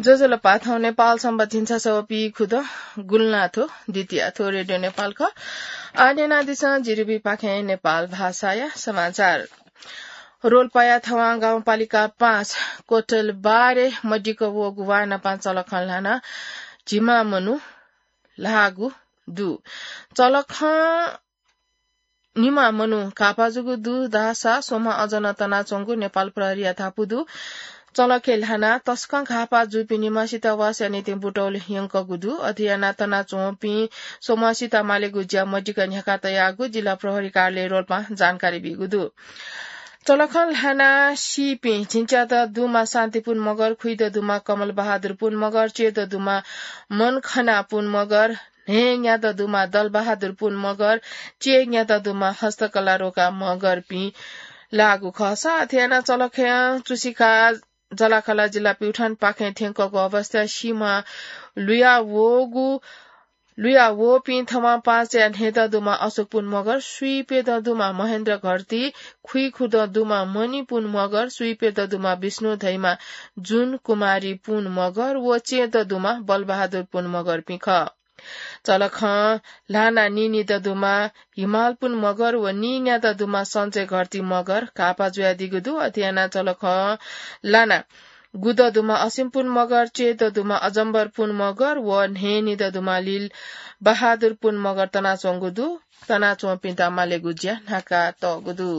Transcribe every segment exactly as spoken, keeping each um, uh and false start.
ज्वजलपा, थौं नेपाल संवत झिंछसः व पीखुदँ गुंलाथ्व द्वितीया। थ्व रेडियो नेपाल खः। आः न्यनादिसँ जिरिबीपाखें नेपाल भाषाया समाचार। रोल्पाया थवां गाउँपालिका पाँच कोटल बारे मदिक्क वःगु वाः नापं चलखं ल्हानाः झिम्मा मनू ल्हाःगु दु। चलखं निम्ह मनू घाःपा जूगु दु धाःसा स्वम्ह अझ नं तनाच्वंगु नेपाल प्रहरीया धापू दु। चलखय् ल्हानाः तसकं घाःपा जूपिं निम्हसित वासया निंतिं बुटौल यंकूगु दु। अथे यानाः तनाच्वंपिं स्वम्हसित मालेगु ज्या मदिक्क न्ह्याका तयागु जिल्ला प्रहरी कार्यालय रोल्पां जानकारी बीगु दु। चलखं ल्हानाः सीपिं झिंच्यात दुम्ह शान्तिपुन मगर, खुइत दुम्ह कमल बहादुरपुन मगर, च्यय्त दुम्ह मनखनापुन मगर, न्हय्‌न्यात दुम्ह दलबहादुरपुन मगर, च्यय्‌न्यात दुम्ह हस्तकला रोका मगरपिं लाःगु खःसा, अथे यानाः चलखय् चुसिका जलाखला जिल्ला प्युठानपाखें थ्यंकःगु अवस्थाय् सीम्ह लुया वःगु, लुया वःपिं थम्हं पाँचया न्हय्‌त दुम्ह अशोकपुन मगर, स्वीप्यत दुम्ह महेन्द्र घरती, खुइखुदँ दुम्ह मणिपुन मगर, स्वीप्यत दुम्ह विष्णु धइम्ह जुन कुमारीपुन मगर व च्यय्‌त दुम्ह बलबहादुरपुन मगरपिं खः। चलखं ल्हानाः नीनित दुम्ह हिमालपुन मगर व नीन्यात दुम्ह सञ्चय घरती मगर घाःपा जुयादीगु दु। अथे यानाः चलखं ल्हानाः गुत दुम्ह असिमपुन मगर, च्यय्‌त दुम्ह अजम्बरपुन मगर व न्हय्‌नित दुम्ह लील बहादुरपुन मगर तनाच्वंगु दु। तनाच्वंपिन्त मालेगु ज्या न्ह्याका तःगु दु।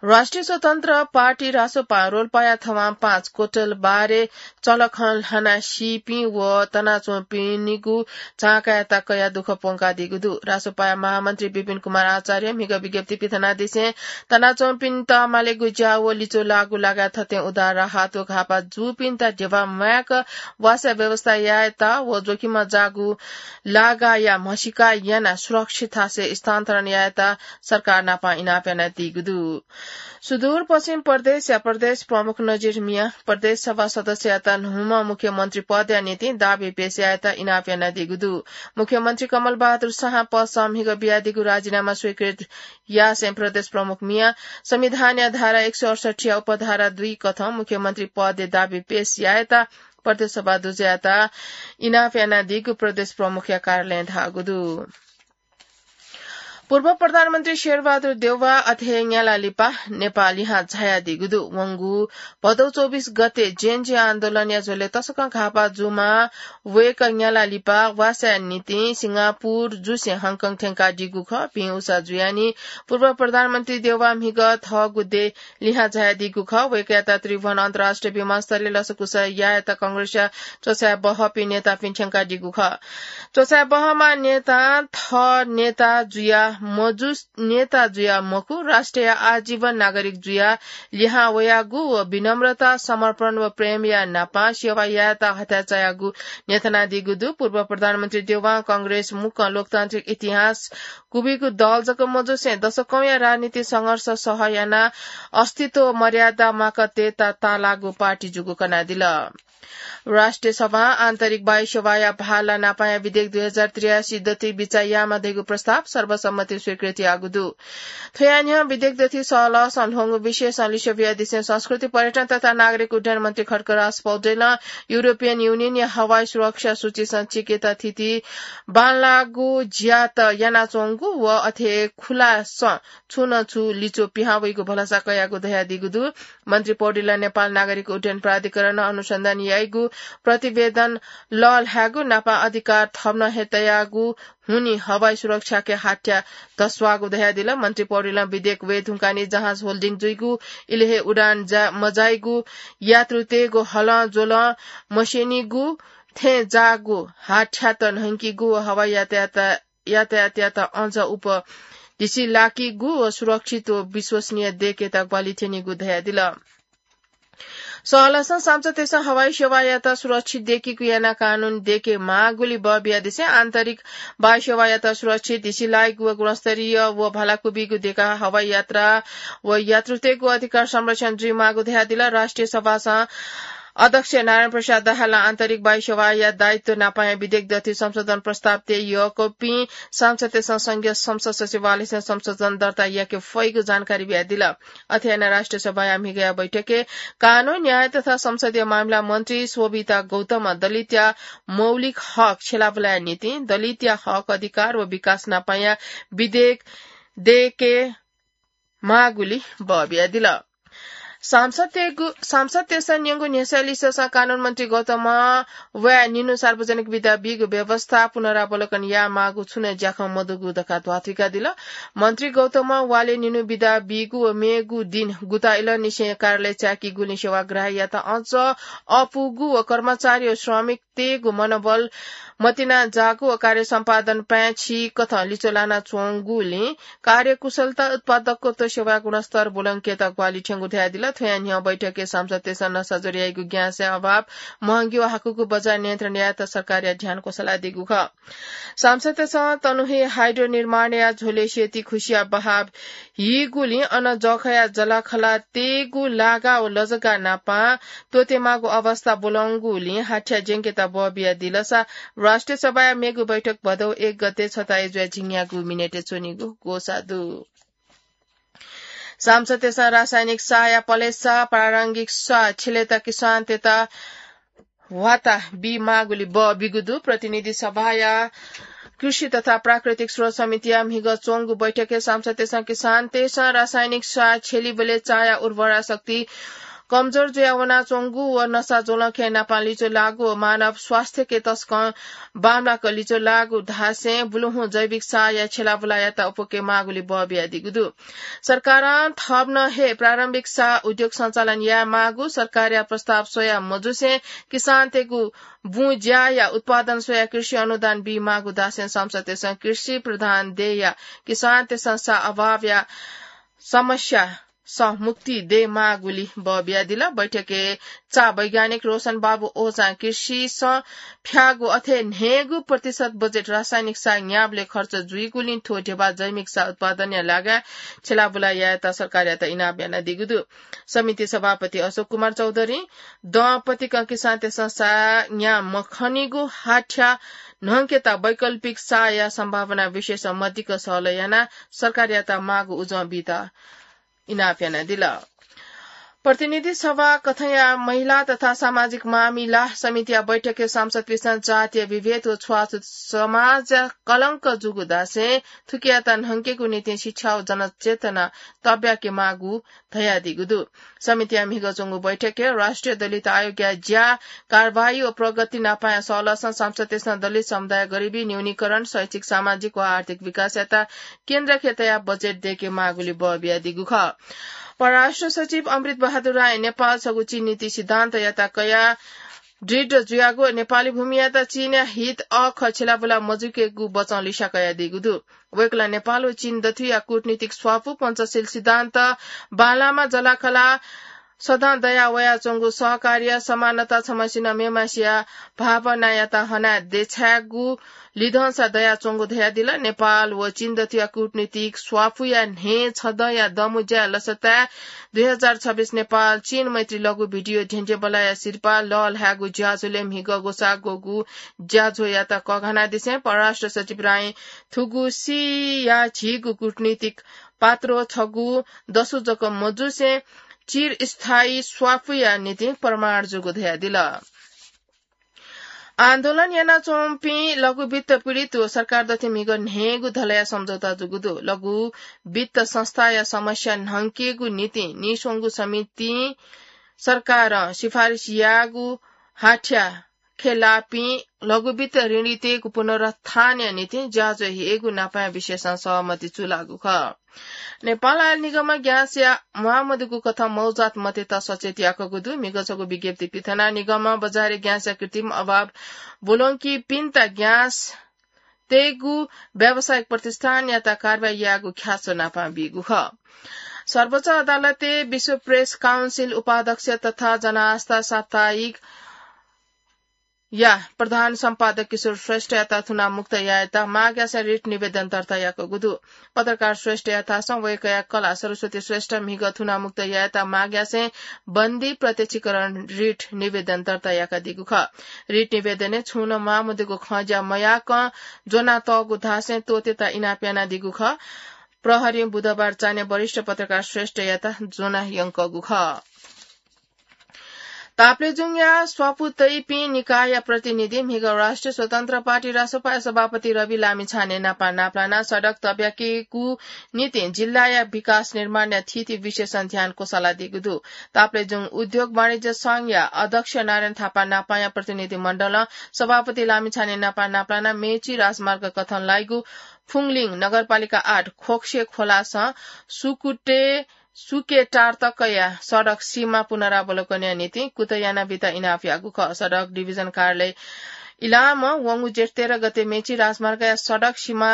राष्ट्रिय स्वतन्त्र पार्टी रासोपां रोल्पाया थवां पाँच कोटल बारे चलखं ल्हानाः सीपिं व तनाच्वंपिनिगु झांकायात कयाः दुःख प्वंकादीगु दु। रासोपाया महामन्त्री विपिन कुमार आचार्यं म्हिगः विज्ञप्ति पिथनादिसें तनाच्वंपिन्त मालेगु ज्या व लिच्वः लाःगु लागाय् थथें उद्धार राहत व घाःपा जूपिन्त ध्यबा म्वायेक वासया व्यवस्था यायेत व जोखिमय् जाःगु लागाया म्हसीका यानाः सुरक्षित थासय् स्थानान्तरण यायेत सरकार नाप इनाप यानादीगु दु। सुदूरपश्चिम प्रदेशया प्रदेश प्रमुख नजिर मियां प्रदेश सभा सदस्ययात न्हूम्ह मुख्यमन्त्री पदया निंतिं दाबी पेश यायेत इनाप यानादीगु दु। मुख्यमन्त्री कमल बहादुर शाहं पदसं म्हिगः बियादीगु राजीनामा स्वीकृत यासें प्रदेश प्रमुख मियां संविधानया धारा एक सय अडसठ्ठीया उपधारा दुई कथं मुख्यमन्त्री पदय् दाबी पेश यायेत प्रदेश सभा दुजःयात इनाप यानादीगु प्रदेश प्रमुखया कार्यालयं धाःगु दु। पूर्व प्रधानमन्त्री शेरबहादुर देउवा अथे हे न्याला लिपा नेपाः लिहां झायादीगु दु। वंगु भदौ चौबिस गते जेएनजी आन्दोलनया झ्वलय् तसकं घाःपा जूम्ह वय्‌कः न्याला लिपा वासया निंतिं सिंगापुर जुसें हङकङ थ्यंकादीगु खः। भिं उसा जुयाः नि पूर्व प्रधानमन्त्री देउवा म्हिगः थःगु देय् लिहां झायादीगु खः। वय्‌कःयात त्रिभुवन अन्तर्राष्ट्रिय विमानस्थलय् लसकुस यायेत कांग्रेसया च्वछाय् बहःपिं नेतापिं थ्यंकादीगु खः। च्वछाय् बहःम्ह नेतां थः नेता जुया मजु, नेता जुया मखु, राष्ट्रया आजीवन नागरिक जुया लिहां वयागु व विनम्रता, समर्पण व प्रेमया नापं सेवा यायेत हथाय् चायागु न्ह्यथनादीगु दु। पूर्व प्रधानमन्त्री देउवां कांग्रेस मुक्कं लोकतान्त्रिक इतिहास गुबिगु दल जक मजुसें दशकौंया राजनीतिक संघर्ष सह यानाः अस्तित्व मर्यादा माकतेत ताःलाःगु पार्टी जूगु कनादिल। राष्ट्रिय सभां आन्तरिक वायु सेवाया भाला नापाया विधेयक दुई हजार त्रियासी दथुइ बिचाः यायेमाः धइगु प्रस्ताव सर्वसम्मतिं स्वीकृत याःगु दु। थ्वया न्ह्यः विधेयक दथुइ सहलहसं ल्ह्वंगु विषयसं लिसे बियादिसें संस्कृति, पर्यटन तथा नागरिक उड्डयन मन्त्री खड्गराज पौडेलं युरोपियन युनियनया हवाई सुरक्षा सूचीसं चिकेत थिति बांलाःगु ज्यात यानाच्वंगु व अथे खुलासं छुं न छुं लिच्वः पिहां वइगु भलसा कयागु धयादीगु दु। मन्त्री पौडेलं नेपाल नागरिक उड्डयन प्राधिकरणं अनुसन्धान याइगु, प्रतिवेदन लःल्हायेगु नापं अधिकार थम्हं हे तयागु हुनिं हवाई सुरक्षाके हाथ्या धस्वाःगु धयादिल। मन्त्री पौडेलं विधेयक वये धुंकाः नि जहाज होल्डिङ जुइगु, इलय् हे उडान जा-, मजाइगु, यात्रुतय्‌गु हलं ज्वलं मस्यनीगु, थें जाःगु, हाथ्यात न्हंकीगु व हवाई यातायात यातायातयात अझ उप ढिसि लाकीगु व सुरक्षित व विश्वसनीय देय्‌केत ग्वाहालि थ्यनीगु धयादिल। सहलहसं सांसदतय्‌सं हवाई सेवायात सुरक्षित देय्‌केगु यानाः कानून देय्‌के माःगुलिं बः बियादिसें आन्तरिक वायु सेवायात सुरक्षित, ढिसि लाइगु व गुणस्तरीय व भालाकुबिगु देकाः हवाई यात्रा व यात्रुतय्‌गु अधिकार संरक्षण जुइमाःगु धयादिल। राष्ट्रिय सभासं अध्यक्ष नारायण प्रसाद दाहालं आन्तरिक वायु सेवाया दायित्व नापाया विधेयक दथुइ संशोधन प्रस्ताव तये यःकपिं सांसदतय्सं संघीय संसद सचिवालयसं संशोधन दर्ता याके फइगु जानकारी बियादिल। अथे यानाः राष्ट्रिय सभाया म्हिगःया बैठकय् कानून, न्याय तथा संसदीय मामिला मन्त्री शोभिता गौतमं दलितया मौलिक हक छ्यलाबुलाया निंतिं दलितया हक, अधिकार व विकास नापाया विधेयक दयेके माःगुलिं बः बियादिल। सांसदतय्गु, सांसदतय्सं न्यंगु न्ह्यसः लिसःसं कानून मन्त्री गौतमं वया निन्हु सार्वजनिक बिदा बीगु व्यवस्था पुनरावलोकन यायेमाःगु छुं नं ज्याखँ मदुगु धकाः ध्वाथुइकादिल। मन्त्री गौतमं वालय् निन्हु बिदा बीगु व मेगु दिं गुता इलंनिसें कार्यालय चाय्कीगुलिं सेवाग्राहीयात अझ अःपुगु व कर्मचारी व श्रमिकतय्गु मनोबल मतिनाजाःगु व कार्य सम्पादन पाय्छि कथं लिच्वः लानाच्वंगुलिं कार्यकुशलता, उत्पादकत्व, सेवा गुणस्तर ब्वलंकेत ग्वाहालि थ्यंगु धयादिल। थ्वया न्ह्यः बैठकय् सांसदतय्सं नसाज्वर याइगु ग्याँसया अभाव, महंगी व हाकुगु बजार नियन्त्रण यायेत सरकारया ध्यान क्वसलादीगु खः। सांसदतय्सं तनु हे हाइड्रो निर्माणया झ्वलय् सेती खुसिया बहाव हीगुलिं अन जःखया जलाखला तयेगु लागा व लजगा नापं त्वःतेमाःगु अवस्था ब्वलंगुलिं हाथ्या ज्यंकेत बः बियादिलसा राष्ट्रिय सभाया मेगु बैठक भदौ एक गते छता जुया झिंन्यागू मिनेटय् च्वनीगु ग्वसाः दु। सांसदतय्सं रासायनिक साःया पलेसा प्रारम्भिक साः छ्यलेत किसानतय्त ह्वाता बीमाःगुलिं बः बीगु दु। प्रतिनिधि सभाया कृषि तथा प्राकृतिक स्रोत समितिया म्हिगः च्वंगु बैठकय् सांसदतय्सं किसानतय्सं रासायनिक साः छ्यलीबलय् चाःया उर्वरा शक्ति कमजोर जुया वनाच्वंगु व नसा ज्वलंखँय् नापं लिच्वः लाःगु व मानव स्वास्थ्यके तसकं बांमलाक लिच्वः लाःगु धासें बुलुहुँ जैविक साःया छ्यलाबुलायात अःपुके माःगुलिं बः बियादीगु दु। सरकारं थप नं हे प्रारम्भिक साः उद्योग सञ्चालन यायेमाःगु सरकारया प्रस्ताव स्वया मजुसें किसानतय्गु बुँ ज्याया उत्पादन स्वया कृषि अनुदान बीमाःगु धासें सांसदतय्सं कृषि प्रधान देय्या किसानतय्सं साः अभावया समस्यासं मुक्ति दयेमाःगुलिं बः बियादिल। बैठकय् चाः वैज्ञानिक रोशन बाबु ओझां कृषिसं फ्याःगु अथे न्हय्गू प्रतिशत बजेट रासायनिक साः न्याःबलय् खर्च जुइगुलिं थ्व ध्यबा जैविक साः उत्पादनया लागाय् छ्यलाबुला यायेत सरकारयात इनाप यानादीगु दु। समिति सभापति अशोक कुमार चौधरीं दँ पतिकं किसानतय्सं साः न्याः मखनीगु हाथ्या न्हंकेत वैकल्पिक साःया सम्भावना विषयसं मदिक्क सहलह यानाः सरकारयात माःगु उजं बीत इनाप यानादिल। प्रतिनिधि सभा कथंया महिला तथा सामाजिक मामिला समितिया बैठकय् सांसदपिन्सं जातीय विभेद व छुवाछुत समाजया कलंक जूगु धासें थुकियात न्हंकेगु निंतिं शिक्षा व जनचेतना तब्याके माःगु धयादीगु दु। समितिया म्हिगः च्वंगु बैठकय् राष्ट्रिय दलित आयोगया ज्या, कारवाही व प्रगति नापाया सहलहसं सांसदतय्सं दलित समुदाय गरिबी न्यूनीकरण, शैक्षिक, सामाजिक व आर्थिक विकासयात केन्द्र कथंया बजेट दयेके माःगुलिं बः बियादीगु खः। परराष्ट्र सचिव अमृत बहादुर रायं नेपाल छगू चीन नीति सिद्धान्तयात कयाः दृढ जुयागु नेपाली भूमियात चीनया हित अःखः छ्यलाबुला मजुइकेगु बचं लिस्या कयादीगु दु। वय्कलं नेपाल व चीन दथुइया कूटनीतिक स्वापू, पञ्चशील सिद्धान्त, बांलाःम्ह जलाखला, सदँ दया वयाच्वंगु सहकार्य, समानता, छम्हसिनं मेम्हसिया भावनायात हनाः देछायेगु लिधंसा दयाच्वंगु धयादिल। नेपाल व चीन दथुइया कूटनीतिक स्वापूया न्हय् छदँया दँमुँज्याय् लसताय् दुई हजार छब्बीस नेपाल चीन मैत्री लघु भिडियो ध्यंध्यबलाया सिरपाः लःल्हायेगु ज्याझ्वलय् म्हिगः ग्वसाः ग्वःगु ज्याझ्वःयात कःघानादिसें परराष्ट्र सचिव रायं थुगु सिया झीगु कूटनीतिक पात्रो छगू दसु जक मजुसें चिरस्थायी स्वापूया निंतिं प्रमाण जूगु धयादिल। आन्दोलन यानाच्वंपिं लघु वित्त पीडित व सरकार दथुइ म्हिगः न्हय्गू धलया सम्झौता जूगु दु। लघु वित्त संस्थाया समस्या न्हंकेगु निंतिं नीस्वंगू समितिं सरकारं सिफारिस याःगु हाथ्या खँय् लाःपिं लघु वित्त ऋणीतय्गु पुनरुत्थानया निंतिं ज्याझ्वः हयेगु नापया विषयसं सहमति चूलाःगु खः। नेपाल आयल निगमं ग्याँसया म्वाःमदुगु कथं मौजात मतेत सचेत याकूगु दु। म्हिगः छगू विज्ञप्ति पिथनाः निगमं बजारय् ग्याँसया कृत्रिम अभाव ब्वलंकीपिन्त ग्याँस तयेगु व्यावसायिक प्रतिष्ठानयात कारवाही यायेगु ख्याच्वः नापं बीगु खः। सर्वोच्च अदालतय् विश्व प्रेस काउन्सिल उपाध्यक्ष तथा जनआस्था साप्ताहिक या प्रधान सम्पादक किशोर श्रेष्ठयात थुनामुक्त यायेत मागयासें रिट निवेदन दर्ता याकूगु दु। पत्रकार श्रेष्ठया थासं वय्कःया कलाः सरस्वती श्रेष्ठ म्हिगः थुनामुक्त यायेत मागयासें बन्दी प्रत्यक्षीकरण रिट निवेदन दर्ता याकादीगु खः। रिट निवेदनय् छुं नं म्वाःमदुगु खँज्या मयाकं ज्वनातःगु धासें त्वःतेत इनाप यानादीगु खः। प्रहरीं बुधबार चान्हय् वरिष्ठ पत्रकार श्रेष्ठयात ज्वना यंकःगु खः। ताप्लेजुङया स्वापू तइपिं निकायया प्रतिनिधि म्हिगः राष्ट्रिय स्वतन्त्र पार्टी रासोपाया सभापति रवि लामिछाने नापं नापलानाः सडक तब्याकीगु निंतिं जिल्लाया विकास निर्माणया थीथी विषयसं ध्यान क्वसालादीगु दु। ताप्लेजुङ उद्योग वाणिज्य संघया अध्यक्ष नारायण थापा नापाया प्रतिनिधि मण्डलं सभापति लामिछाने नापं नापलानाः मेची राजमार्ग कथं लाइगु फुङलिङ नगरपालिका आठ खोक्से खोलासं सुकुटे सुकेटार तकया सडक सीमा पुनरावलोकनया निंतिं कुतः यानाबीत इनाप याःगु खः। सडक डिभिजन कार्यालय इलामं वंगु जेठ तेह्र गते मेची राजमार्गया सडक सीमा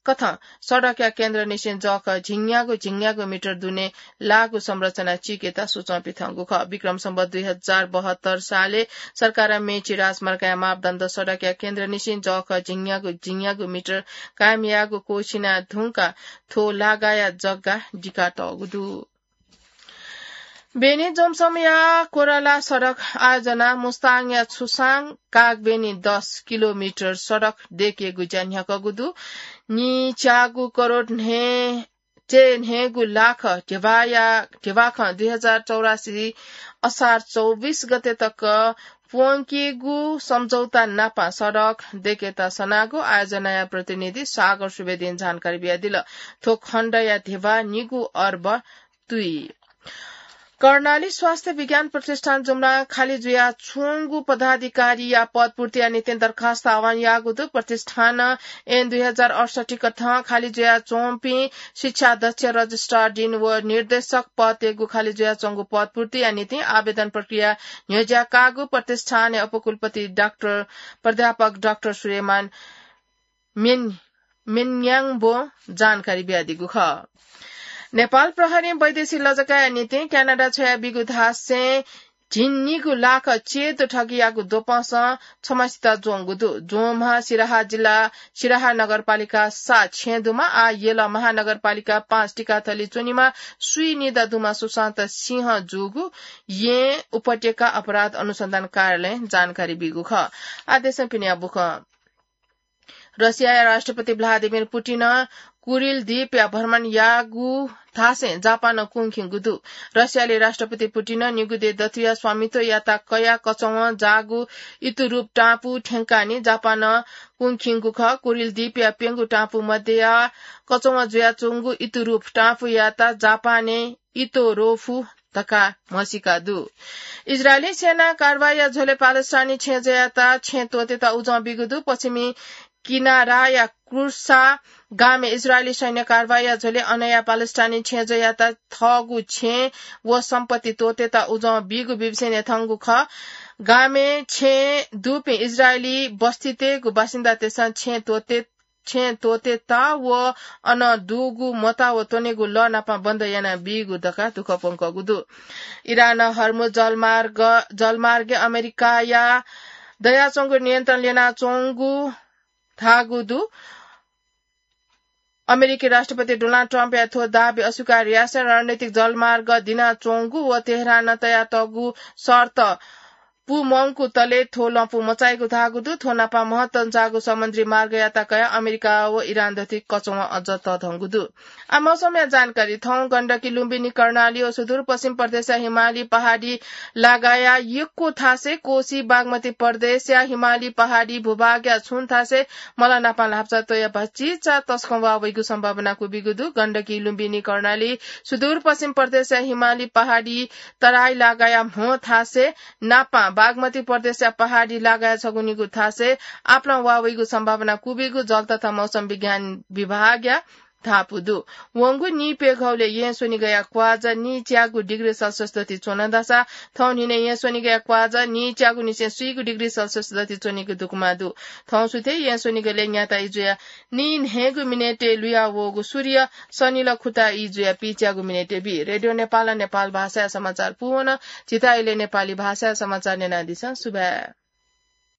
कथं सडकया केन्द्रनिसें जःखः झिंग्यागु झिंग्यागु मिटर दुने लाःगु संरचना चीकेत सुचं पिथंगु खः। विक्रम सम्वत दुई हजार बहत्तर सालय् सरकारं मेची राजमार्गया मापदण्ड सडकया केन्द्रनिसें जःखः झिंग्यागु झिंग्यागु मिटर कायम यायेगु क्वःछिना धुंकाः थ्व लागाया जग्गा दिकातःगु दु। बेनी जोमसमया कोराला सडक आयोजना मुस्ताङया छुसाङ कागबेनी दस किलोमिटर सडक दयेकेगु ज्या न्ह्याकःगु दु। नीच्यागु करोड न्हय् चे न्हय्गु लाख ध्यबाया, ध्यबाखं दुई हजार चौरासी असार चौबिस गते तक प्वंकेगु सम्झौता नापं सडक दयेकेत सनागु आयोजनाया प्रतिनिधि सागर सुवेदीं जानकारी बियादिल। थ्व खण्डया ध्यबा निगू अर्ब तुइ। कर्णाली स्वास्थ्य विज्ञान प्रतिष्ठान जुम्ला खाली जुयाच्वंगु पदाधिकारीया पद पूर्तिया निंतिं दरखास्त आह्वान याःगु दु। प्रतिष्ठानं ऐन दुई हजार अडसट्ठी कथं खाली जुयाच्वंपिं शिक्षा अध्यक्ष, रजिस्ट्रार डिन व निर्देशक पदय्गु खाली जुयाच्वंगु पद पूर्तिया निंतिं आवेदन प्रक्रिया न्ह्यज्याकाःगु प्रतिष्ठानया उपकुलपति डाक्टर, प्राध्यापक डाक्टर सुलेमान मेन-, मेन्याङबों जानकारी बियादीगु खः। नेपाल प्रहरीं वैदेशिक लजगाःया निंतिं क्यानाडा छ्वयाबीगु धासें झिंनिगू लाख च्यदँ ठगीयागु द्वपंसं छम्हसित ज्वंगु दु। ज्वंम्ह सिराहा जिल्ला सिराहा नगरपालिका सात छेँ दुम्ह, आः यल महानगरपालिका पाँच टिकाथली च्वनीम्ह स्वीनिदँ दुम्ह सुशान्त सिंह जूगु येँ उपत्यका अपराध अनुसन्धान कार्यालयं जानकारी बीगु खः। आः देशं पिनेया बुखँ। रसियाया राष्ट्रपति भ्लादिमिर पुटिनं कुरिल द्वीपया भ्रमण याःगु धासें जापानं कुंखिंगु दु। रसियाली राष्ट्रपति पुटिनं निगू दँय् दथुया स्वामित्व याता कयाः कचवं जाःगु इतुरुप टापु थ्यंकाः नं जापानं कुंखिंगु खः। कुरिल द्वीपया प्यंगू टापु मध्यया कचवं जुयाच्वंगु इतुरुप टापुयात जापानय् इतोरोफु धकाः म्हसीका दु। इजरायली सेना कारवाईया झ्वलय् प्यालेस्टाइनी छेँजःयात छेँ त्वःतेत उजं बीगु दु। पश्चिमी किनाराया क्रुसा गामय् इजरायली सैन्य कारवाईया झ्वलय् अनया प्यालेस्टाइनी छेँजःयात थःगु छेँ व सम्पत्ति त्वःतेत उजं बीगु बीबीसीं न्ह्यथंगु खः। गामय् छेँ दुपिं इजरायली बस्तीतय्गु बासिन्दातय्सं छेँ त्वःते छेँ त्वःतेत व अन दुगु मता व त्वनेगु लः नापं बन्द यानाबीगु धकाः दुःख प्वंकःगु दु। इरानं हर्मुज जलमार्ग, जलमार्गय् अमेरिकाया दयाच्वंगु नियन्त्रण ल्यनाच्वंगु धाःगु दु। अमेरिकी राष्ट्रपति डोनाल्ड ट्रम्पया थ्व दाबी अस्वीकार यासें रणनीतिक जलमार्ग दिनाच्वंगु व तेहरानं तयातःगु शर्त पूमंकूतले थ्व लँपु मचाइगु धाःगु दु। थ्व नापं महत्व तंचाःगु समुद्री मार्गयात कयाः अमेरिका व इरान दथुइ कचवं अझ तःधंगु दु। आः मौसमया जानकारी। थौं गण्डकी, लुम्बिनी, कर्णाली व सुदूरपश्चिम प्रदेशया हिमाली पहाडी लागाया यक्व थासय्, कोशी बागमती प्रदेशया हिमाली पहाडी भूभागया छुं थासय् मला नापं ल्हापचा त्वयाः भचा तसकं वाः वइगु सम्भावना क्वबीगु दु। गण्डकी, लुम्बिनी, कर्णाली, सुदूरपश्चिम प्रदेशया हिमाली पहाडी तराई लागाया म्हो थासय् नापं बागमती प्रदेशया पहाडी लागाया छगू निगू थासय् आपालं वाः वइगु सम्भावना क्वबीगु जल तथा मौसम विज्ञान विभागया धापू दु। वंगु नीप्यघौलय् येँ स्वनिगःया क्वाःजा नीच्यागू डिग्री सेल्सियस दथुइ च्वन धाःसा थौं न्हिनय् येँ स्वनिगःया क्वाःजा नीच्यागुनिसें स्वीगू डिग्री सेल्सियस दथुइ च्वनीगु दुकमा दु। थौं सुथय् येँ स्वनिगलय् न्याता इजुया नीन्हय्गू मिनेटय् लुया वःगु सूर्य सनिल खुता इजुया पीच्यागू मिनेटय् बी। रेडियो नेपालं नेपाल भाषाया समाचार पूवन। झीत इलय् नेपाली भाषाया समाचार न्यनादिसँ। सुभाय्।